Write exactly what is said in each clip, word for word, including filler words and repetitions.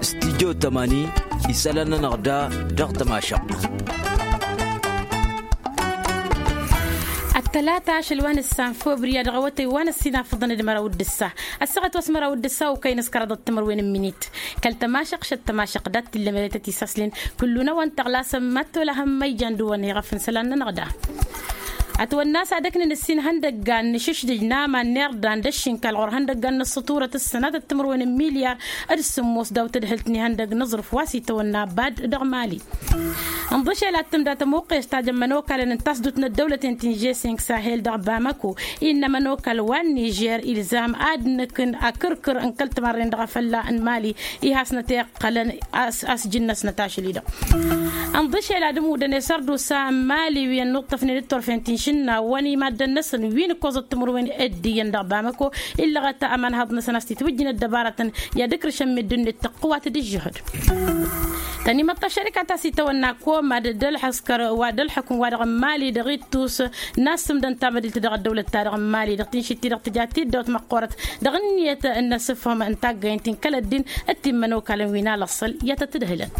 Studyo tămani isălan-nănăɣ da dăɣ-tămašăɣt. Ăttălata ašăl wa nǝssan făbrǝya dăɣ-awătăy wa n-ăssinafăḍăn d-măraw d-ǝssa ăssaɣăt wa s-măraw d-ǝssa okăyăn s-kăraḍăt timǝrwen n-minit. Kăl-tămašăɣt šăt tămašăɣt dat-t illa meretăt isaslin kullu-năwăn tăɣlasăm mad-tolăhăm ma ijan dăɣ-wăn iɣăf n-isălan-nănăɣ da. Ătwănna a-s ad-ăknăn ǝssin ihăndăggan n-išǝšdǝj n-aman n-irdan d-ǝššinkal ɣur-ihăndăggan n-ǝssǝturăt ǝssănatăt timǝrwen n-milyar d-sǝmmos daw-tadhǝlt n-ihăndăgg n-aẓrǝf wa s-itawănna bad dăɣ-mali. Ǝnḍǝšel ad-tǝmda tămoqqes ta jămmăn okalăn n-tasdut n-ăddăwlăten ti n-žesink sahel dăɣ-bamako innă ămănokal wa n-nižer ilzam ad-nǝkǝn akǝrkǝr n-kăl-timarren dăɣ-afălla n-mali ihasnăt iqqălăn asjǝn-năsnăt ašăl-i-dăɣ. Ǝnḍǝšel ad-ǝmmudăn i-sărdusa n-mali wi ănnuṭṭăfnen d-turfen ti n-išǝnnawăn i-maddăn-năsăn wi n-ǝkkoẓăt timǝrwen dd-iyyăn dăɣ-bamako illăɣăt ămanhaḍ-năsăn a-s titwǝjjǝn ăddăbarătăn i-ad-ǝkrǝšăn meddǝn-net tăqqǝwat d-ǝžžǝhǝd. Tănimăḍt ăššărika ta s-itawănna komad d-ălḥăskăr wa d-ălḥukǝm-wa-dăɣ n-mali dăɣ-ittus n-assǝmdăn tamădilt dăɣ-ăddăwlăt-ta-dăɣ n-mali dăɣ-tinšit-ti-dăɣ tǝja tiddawt măqqoorăt dăɣ-ǝnniyăt n-asǝfhǝm n-taggaynt ti n-kăl-ăddin d-timmănokalăn wi n-alăṣṣăl i-ad-tăt-ǝdhǝlăn.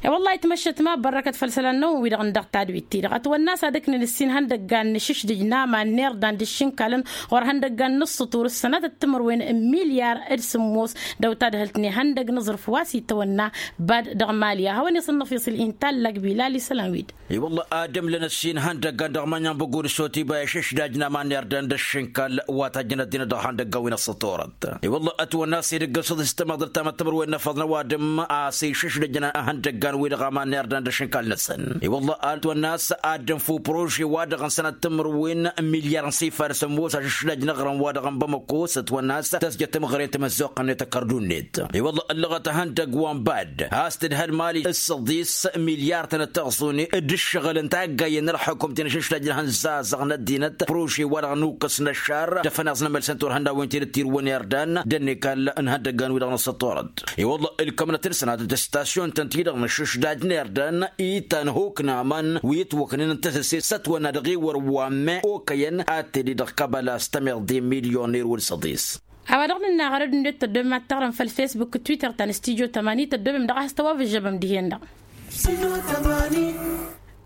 I-wăllah itmăššăt ma bărrăkăt făll-isălan-năwăn-wi-dăɣ n-dăɣ tadwit-ti-dăɣ ătwănna a-s ad-ǝknăn ǝssin ihăndăggan n-išǝšdǝj n-aman n-irdan d-ǝššǝnkalăn ɣur-ihăndăggan n-ǝssǝtur s-sănatăt timǝrwen n-milyar d-sǝmmos dăw-tadhǝlt n-ihăndăgg n-aẓrǝf wa s-itawănna bad dăɣ-mali a hawăn-iṣănnăf iṣǝl intallăg bilal isălan-wi-dd. I-wălla ad-ǝmlăn ăssin ihăndăggan dăɣ-mănyan băggu d-sotiba išǝšdaj n-aman n-irdan d-ǝššǝnkal wa tajjăn ăddinăt dăɣ-ihăndăggan wi n-ăssăturăt. I-wălla ătwănna a-s ed ǝggăsăḍ s-tamăḍrăt ta măttămărwen n-afăḍ n-ăwadǝm a-s išǝšdăjăn ihăndăggan-wi-dăɣ aman n-irdan d-ǝššǝnkal-năsăn. I-wălla ătwănna a-s ad-dd-ănfu prože-wa-dăɣ n-sănat timǝrwen n-milyar n-sifar sămoos ašǝšdaj n-aɣrǝm-wa-dăɣ n-bamăko s-ătwănna a-s tăzjăt timɣăre tamăzzuɣt-net ăkkărdun-net. I-wălla ăllăɣăt ihăndăgg wa n-bad a-s tǝdhăl mali s-săḍis milyar-tăn d-taɣẓune d-ǝššăɣǝl n-taggayen n-ălxukum ti n-ašǝšdaj n-ihănzazăɣ n-ăddinăt prože-wa-dăɣ n-ukǝs n-ăššar dăɣ-fănaẓ n-emălsăn turhăndawin ti dd-tirwăn irdan d-ănnekal n-ihăndăggan-wi-dăɣ n-ăssăṭṭurăt. I-wălla ǝlkămnăt-năsăn ad-dd-ăstasyon-tăn ti-dăɣ n-ašǝšdaj n-irdan itan huk n-aman wi ǝtwăknen n-tasǝse s-ătwănna dăɣ-ewăr wa n-me okăyăn ad-tede dăɣ-kăbăla s-tămeḍe milyon n-erwǝl săḍis. A-wa dăɣ-nǝnna ɣărăd-net tăddobem ad-taɣrăm făll-fesbuk twitter ta n-studyo tămani tăddobem dăɣ-a has-tăwavǝžžăbăm dihen-dăɣ.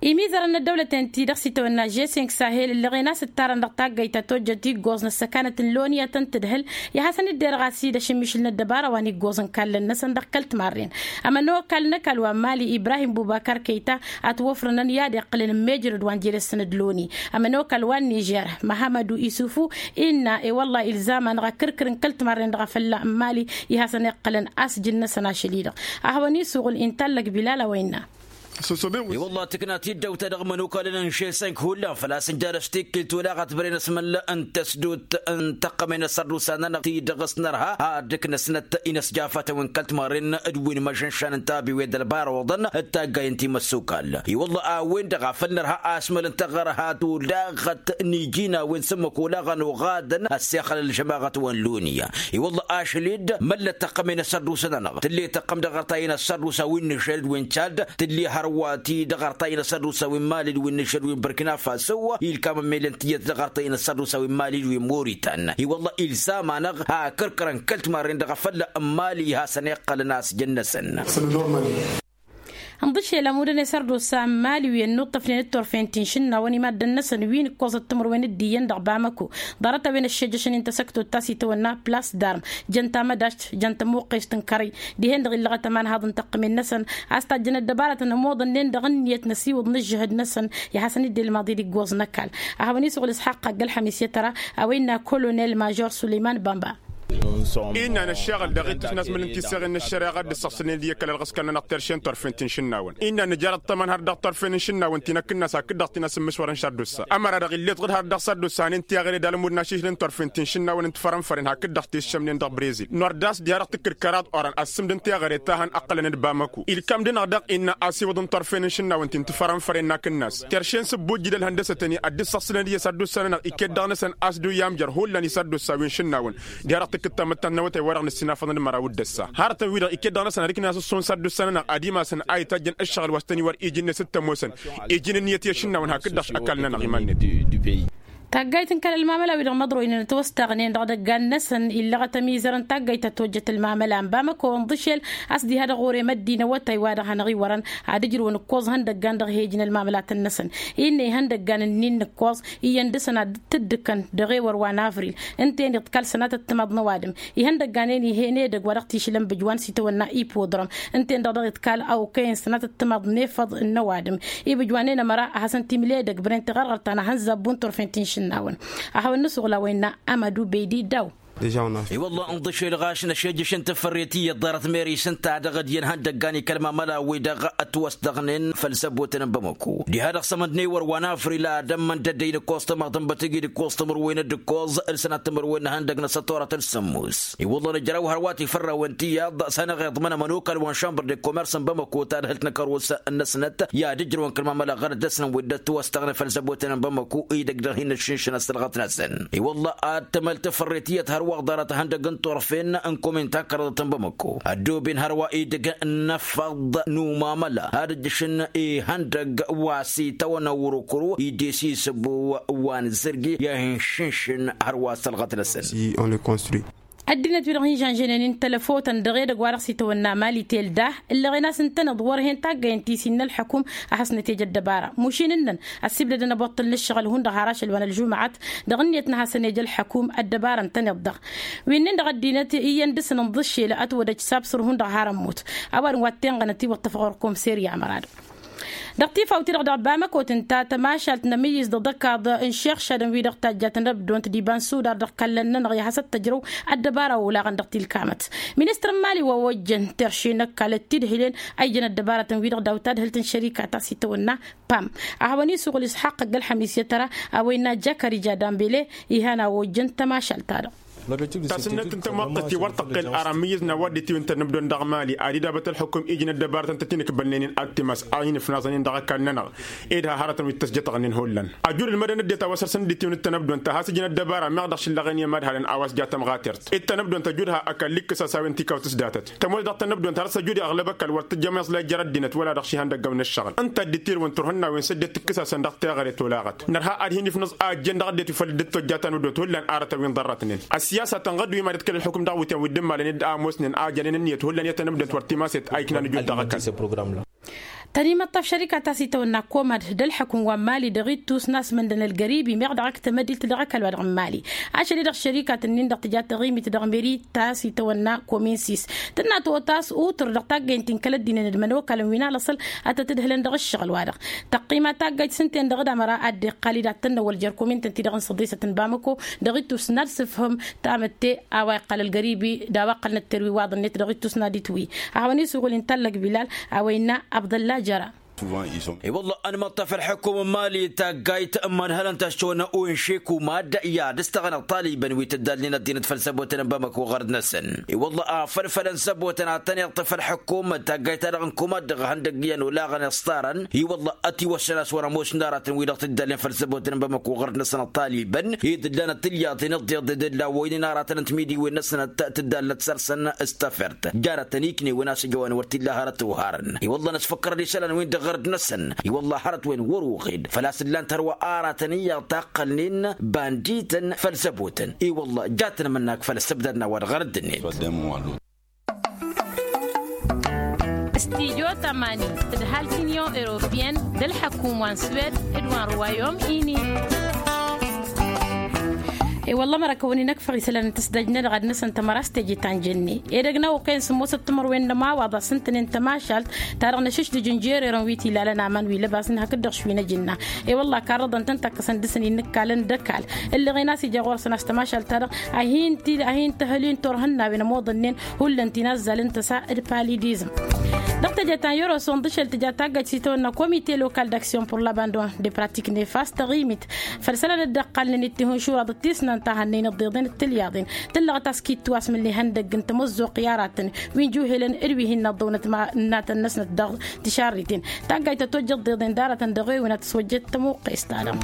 Imizărăn n-ăddăwlăten-ti-dăɣ s-itawănna žesink sahel ǝllăɣen a-s ǝttarăn dăɣ-taggayt ta tojjăt iggoẓ n-ăssăkanăt n-loni ad-tăn-tǝdhǝl i-ad-hasăn-dd-erɣ a-s-dd-ašǝmmišǝl n-ăddăbara wa n-iggoẓ n-kallăn-năsăn dăɣ-kăl-timarren. Ămănokal n-ăkall wa n-mali ibrahim bubakar kăyta ătwăfrănăn i-ad-iqqǝlăn n-mejrăd wa n-jelăssăn d-loni. Ămănokal wa n-nižer măhămădu isufu innă i-wălla ilzam-anăɣ akǝrkǝr n-kăl-timarren dăɣ-afălla n-mali i-hasăn-iqqǝlăn asjǝn-năsăn ašăl-i-dăɣ. A hawăn-isuɣǝl intallăg bilal a-wa innă. I-wălla tǝkna tiddawt-ta-dăɣ imănokalăn n-žesink hullan făl-a-s ǝnja dăɣ-s tikkǝlt olaɣăt băren asmăl n-tăsdut n-tăqqămen asărdusa-nănăɣ ti-dăɣ s-nărha ad-ǝknăsnăt inăsjafatăn wi n-kăl-timarren d-wi n-imăžănšan n-tabiwe d-ălbar oḍăn d-taggay n-timăssukal. I-wălla a-wen-dăɣ a făl nărha asmăl n-taɣărhat olaɣăt n-iji n-a-wen s-ǝmmǝk olaɣăn oɣadăn ăssexăl ălžămaɣăt wa n-loni. I-wălla ašăl-dd măllăt tăqqămen asărdusa-nănăɣ tǝlle tăqqăm dăɣ-artay n-asărdusa wi n-išăl d-wi n-čad tǝlle hărwa ti dăɣ-artay n-asărdusa wi n-mali d-wi n-išăl wi n-bărkina faso ilkam ămmelăn tiyyăt dăɣ-artay n-asărdusa wi n-mali d-wi n-moritan. I-wălla ilzam-anăɣ akǝrkărăn kăl-timarren dăɣ-afălla n-mali hasăn-iqqălăn asjăn-năsăn. Ănḍǝšel ămudăn i-sărdusa n-mali wi ănnuṭṭăfnen d-turfen ti n-išǝnnawăn i-maddăn-năsăn wi n-ǝkkoẓăt timǝrwen d-iyyăn dăɣ-bamăko ḍarăt-a-wen ăššejăšăn-in tasăktot ta s-itawănna plas d-arm jăn tamădašt jăn tămuqqest n-kărăy. Dihen-dăɣ illăɣăt ămanhaḍ n-tăqqǝmen-năsăn a-s tajjăn ăddăbarătăn ămoḍănnen dăɣ-ǝnniyăt n-ăsiwǝḍ n-ǝžžǝhǝd-năsăn i-ad-hasăn-dd-ilmaḍ d-iggoẓ n-ăkall. A hawăn-isuɣǝl isxaqq agg-ălxămis i-tăra a-wa innă kolonel mažor suleyman bamba. Innă nǝššaɣǝl dăɣ-ittus n-asmǝl n-tiseɣen n-ăššăreɣa a dd-ǝssăɣsǝlnen d-i-kăl-ălɣǝskăl-nănăɣ terše n-turfen ti n-išǝnnawăn innă nǝjar ăṭṭămăn har dăɣ-turfen n-išǝnnawăn ti n-akǝnnas hakd-dăɣ ti n-asǝmmǝšwărăn šardusa ămăra-dăɣ ill'-e-dd ɣǝd har dăɣ-sărdusa a n-intiyăɣre d-almud n-ašǝšlăn turfen ti n-išǝnnawăn n-tifărănfăren hakd-dăɣ t-iššămnen dăɣ-brezil nor d-a-s diha dăɣ-tǝkkǝd kăraḍ oran ăssǝmd n-tiɣăre ta hăn ǝqqălăn d-bamăko ilkam-dăɣ dăɣ-innă asiwǝḍ n-turfen n-išǝnnawăn ti n-tifărănfăren n-akǝnnas terše n-sǝbbujjǝd ălhăndăsătăn-i ad-dd-săɣsǝlăn d-i-sărdusa-nănăɣ iket dăɣ-năsăn a-s dd-oyamjăr hullan i-sărdusa wi n-išǝnnawăn. Diha dăɣ-tǝkkǝd tamăttant n-awătay-wa-dăɣ nǝssinafăḍăn d-măraw d-ǝssa harătăn-wi-dăɣ iket dăɣ-năsăn ad-ǝknen asǝssu n-sărdusa-nănăɣ ad-imasăn a itajjăn ǝššăɣǝl wa s-tăn-iwăr iji-net d-tămoosăn iji n-ǝnniyăt i-ašǝnnawăn hakd-dăɣ ăkall-nănăɣ iman-net. Taggayt n-kăl-ălmamăla-wi-dăɣ măḍroynen ătwăstăɣnen dăɣ-idăggan-năsăn illăɣăt ămizăr n-taggayt ta tojjăt ălmamăla n-bamăko ǝnḍǝšel a-s diha-dăɣ ɣur-e măddinăwătay wa dăɣ-hanăɣ-iwărăn ad-ǝjrǝwăn ǝkkoẓ ihăndăggan dăɣ-he-ǝjǝn ălmamălatăn-năsăn. Innă ihăndăggan ǝnnin n-ǝkkoẓ iyyăn dăɣ-săn ad-dd-tǝddǝkăn dăɣ-ewăr wa n-avril ǝnta-en-dăɣ d-kal sănatăt timaḍ n-ăwadǝm. Ihăndăggan-en ih'-en edăgg wa dăɣ-t-išlăn bǝjwan s-itawănna ipudrăm ǝnta-en-dăɣ dăɣ-iḍkal a okăyăn sănatăt timaḍ n-efăḍ n-ăwadǝm. Ibǝjwan-en ămăra ad-hasăn-t-imǝl edăgg bren tiɣărɣărt ta n-ahănzab buntur fent-inšǝnnawăn. A hawăn-nǝsuɣǝl a-wa innă amădu beydi daw. I-wălla ǝnḍǝšel ɣaš năšejjăš n-tafărret iyyăt ḍarăt meris ǝnta-dăɣ d-iyyăn ihăndăggan i-kăl-mamăla-wi-dăɣ ătwăstăɣnen făll-săbotăn n-bamăko diha-dăɣ s-amănd n-ewăr wa n-afril ad-ămmăn d-ăddăy n-ǝkkoẓ tamăḍt n-bătǝgi d-ǝkkoẓ timǝrwen d-ǝkkoẓ ǝlsănat timǝrwen n-ihăndăg n-asătoratăn sǝmmos. I-wălla nǝjrăw hărwa tifărrawen tiyyăḍ s-hanăɣ-iḍmăn ămănokal wa n-šambăr de komers n-bamăko tadhǝlt n-akăros-năsnăt i-ad-ǝjrăwăn kăl-mamăla ɣărăt dăɣ-snăn wi dd-ătwăstăɣnen făll-săbotăn n-bamăko. Idăgg dăɣ-hin-ăššǝnšǝn ăstălɣăt-năsăn i-wălla ad-tămăl tafărret iyyăt hărwa ḍarăt ihăndăg n-turfen n-komin ta n-kăraḍăt n-bamăko ăddooben hărwa idăgg n-afăḍ n-umamăla ad-ǝjjǝšǝn ihăndăg wa s-itawănna wăr-okăro idesisăbo wa n-zărgi i-ad-hin-šǝnšǝn hărwa ăstălɣăt-năsăn. Ăddinăt-wi-dăɣ hin-žănžănen n-tălăfotăn dăɣ-edăgg wa dăɣ-s itawănna mali telda ǝllăɣen a-s ǝntăneḍ wăr hen taggăyăn ti s-innă ălḥăkum a hasnăt-ej ăddăbara mušin ǝnnăn ăssibdădăn ăboṭṭǝl n-ǝššăɣǝl hundăɣ har ašăl wa n-ălžumăɣăt dăɣ-ǝnniyăt n-ad-hasăn-ej ălḥăkum ăddăbara ǝntăneḍ-dăɣ. Wi-nin-dăɣ ăddinăt iyyăn dăr-săn ǝnḍǝššel ătwădăj s-absăr hundăɣ har ămmut a-wa dăɣ-wa t-tenɣănăt iwăṭṭăf ɣur-kăwăm serya mărad. Dăɣ-tifawt-i-dăɣ dăɣ-bamăkot ǝnta tămašalt n-amǝyyǝz dăɣ-dăkaḍ n-iššăɣšadăn-wi-dăɣ tajjat n-ăbdont d-iba n-sudar dăɣ-kallăn-nănăɣ i-ad-hasăt-tăjrăw ăddăbara olaɣăn dăɣ-tilkamăt. Ministăr n-mali wa ojjăn terše n-ăkall d-tidhǝlen a ijăn ăddăbaratăn-wi-dăɣ daw-tadhǝlt n-šărikat a-s itawănna pam a hawăn-isuɣǝl isxaqq ăgg-ălxămis i-ad-tăra a-wa innă jakarija dambele. Ihan a ojjăn tămašalt-ta-dăɣ. Tasǝnnăt n-tamăḍt ti wăr tăqqel ar amǝyyǝz n-a-wa dd-itiwǝntăn n-ăbdon dăɣ-mali ad-idabăt ălxukum ijnăt dăbarătăn tăt-in-ǝkbălnen-in ad-timas a hin-ǝfnaẓăn-in dăɣ-ăkall-nănăɣ. Ed ha hărătăn wi t-ăsjătăɣnen hullan ajud ǝlmădăn ăddinăt a-wa săr-săn dd-itiwǝn d-tanăbdont ta has-ǝjnăt dăbara meɣ dăɣ-šillăɣen i-imadhalăn a-wa s-ja tămɣatert ed tanăbdont ăjud ha ăkall ikkǝs-as a-wen tikawt s-datăt tămoos dăɣ-tanăbdont har s-ăjud i-aɣlăb ăkall wăr tǝjjăm iẓlay jer-ăddinăt wăla dăɣ-šihăndăgg ăwnăššăɣǝl ǝnta a dd-itirǝwăn turhǝnnawen s-ăddinăt tǝkkǝs-asăn dăɣ-teɣăre tolaɣăt nărha ad-hin-ifnǝẓ a ăjjăn dăɣ-ăddinăt wi făl dd-tojja tanăbdont hullan arătăn wi n-ḍărrătnen. Ăssiyasa tănɣăd wi mad-ǝtkăl ălxukǝm dăɣ-wityan wi dd-ǝmmalăn ed a ămoosnen a jănen ǝnniyăt hullan i-tanăbdont wăr timaset a iknan ǝjud dăɣ-ăkall. Tăn-imăṭṭaf šărikat a-s itawănna komad d-ălḥăkum wa n-mali dăɣ-ittus n-asmăndăn ălgăribi meɣ dăɣ-ak tamădilt dăɣ-ăkall wa dăɣ-n mali ašăl-i-dăɣ šărikatăn-in-dăɣ tǝja taɣimit dăɣ-meri ta s-itawănna komin sis tǝnna totas utǝr dăɣ-taggăynt ti n-kăl-ăddinăn d-imănokalăn wi n-alăṣăl ad-tăt-ǝdhǝlăn dăɣ-ǝššăɣǝl-wa-dăɣ. Tăqqima taggăyt s-ǝnta-en-dăɣ d-amăra ad-dd-iqqal-dd ad-tănnăwăl jer-komintăn-ti-dăɣ n-săḍisăt n-bamăko dăɣ-ittus n-ad-sǝfhǝm tamǝtte a-wa iqqăl ălgăribi d-a-wa ǝqqălnăt terwi waḍ-net dăɣ-ittus n-ad-itwǝy. A hawăn-isuɣǝl-in tallăg bilal a-wa innă abdălla jăra. I-wălla ănmăṭṭaf ălḥukum n-mali taggayt ămman hălăn-t ašăwăn unšeku mad-i ad-ǝstăɣăn ăṭṭalibăn wi tǝddalnen ăddinăt făll-săbotăn n-bamăko ɣărăt-năsăn. I-wălla a făl fălăn săbotăn ad-tăn-iṭṭăf ălḥukum taggayt-ta-dăɣ n-kumad dăɣ-ihăndăgg iyyăn olaɣăn iṣṭarăn i-wălla ătiwăssăn a-s wăr-ămoos n-aratăn wi-dăɣ tǝddalnen făll-săbotăn n-bamăko ɣărăt-năsăn ăṭṭalibăn ed ǝllanăt tilyaḍen ǝḍḍeḍ d-ǝlla a ămoosnen aratăn n-timidiwen-năsnăt tǝddalnăt săr-săn s-tafert jarătăn iknewen a-s ǝjăwăn wăr t-illa hărăt oharăn. I-wălla năsfăkkărăd isălan-win-dăɣ ɣărăt-năsăn i-wălla hărăt-wen wăr-uɣed făl-a-s ǝllan-t hărwa aratăn iyyăḍ taqqălnen bandităn făll-săbotăn i-wălla jatăn amǝnnak făll-ăssăbdadna wa dăɣ-ɣărăt-net. Studyo tămani tǝdhal tinyon europiyăn d-ălḥăkum wa n-swed d-wa n-ruwayom ini. I-wălla mărăkăwăn-in ăkfăɣ isălan n-tǝsdăj-nădăɣ ad-năsăn tămăra s-teje ta n-jănne edăgg n-a okăyăn sǝmmosăt timărwen n-ămawaḍ a-s ǝntănen tămašalt ta dăɣ-năšǝšdǝj n-jererăn wi t-ilalăn aman wi lăbas n-hakd-dăɣ šwinăj ǝnna. I-wălla karrăḍăn-tăn takkăsăn dăr-săn innǝkkalăn d-ăkall ǝllăɣen a-s ija ɣur-săn a-s tămašalt-ta-dăɣ a hin-tăhăl-in turhǝnnawen ămoḍănnen hullan ti n-azzal n-tăsa d-palidizm. Dăɣ-teje ta n-yăroso ǝnḍǝšel tǝja taggajt s-itawănna komite lokal d-aksyon pur labandon de pratik nefas taɣimit făll-isălan dd-ăqqalnen d-tihǝnšuraḍ d-tisnant a hannăyăn ǝḍḍeḍen d-tilyaḍen tǝllăɣăt a-s kittu asmǝl n-ihăndăgg n-tamăzzuɣt i-aratăn wi n-juhelăn d-wi hin-năḍḍăwnăt ma n-natăn-năsnăt dăɣ-tišarriten. Taggayt ta tojjăt ḍeḍen d-aratăn dăɣ-ewǝn ad-tǝswăjjăt tămuqqes-ta-dăɣ.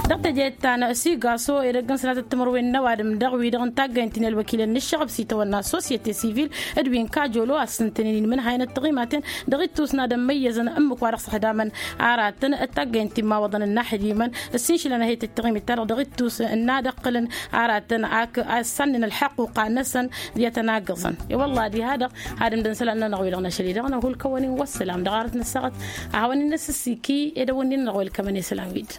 Dăɣ-teje ta n-sigaso edăgg n-sănatăt timǝrwen n-ăwadǝm dăɣ-wi-dăɣ n-taggaynt ti n-ălwăkilăn n-ǝššăɣăb s-itawănna societe sivil d-wi n-kajolo a-s ǝntănen inmǝnhayăn d-tiɣimaten Dăɣ-ittus n-ad-ămmăyyăzăn ǝmmǝk wa dăɣ-s ăxdamăn aratăn d-taggăyăn timmawăḍăn n-inaxdimăn. Ǝssinšǝlăn a he-tǝttăɣimit-ta-dăɣ dăɣ-ittus n-ad-ăqqǝlăn aratăn ak ăssannăn ălxăqquqa-năsăn. Diyătăn aggăẓăn i-wălla diha-dăɣ ad-ǝmdăn isălan-nănăɣ wi-dăɣ n-ašăl-i-dăɣ n-hulkăwăn-in wăssălam dăɣ-arăt n-ăssaɣăt. A hawăn-in-năsǝssiki ed ăwwăn-in-nănăɣ welkămăn isălan wi-dd.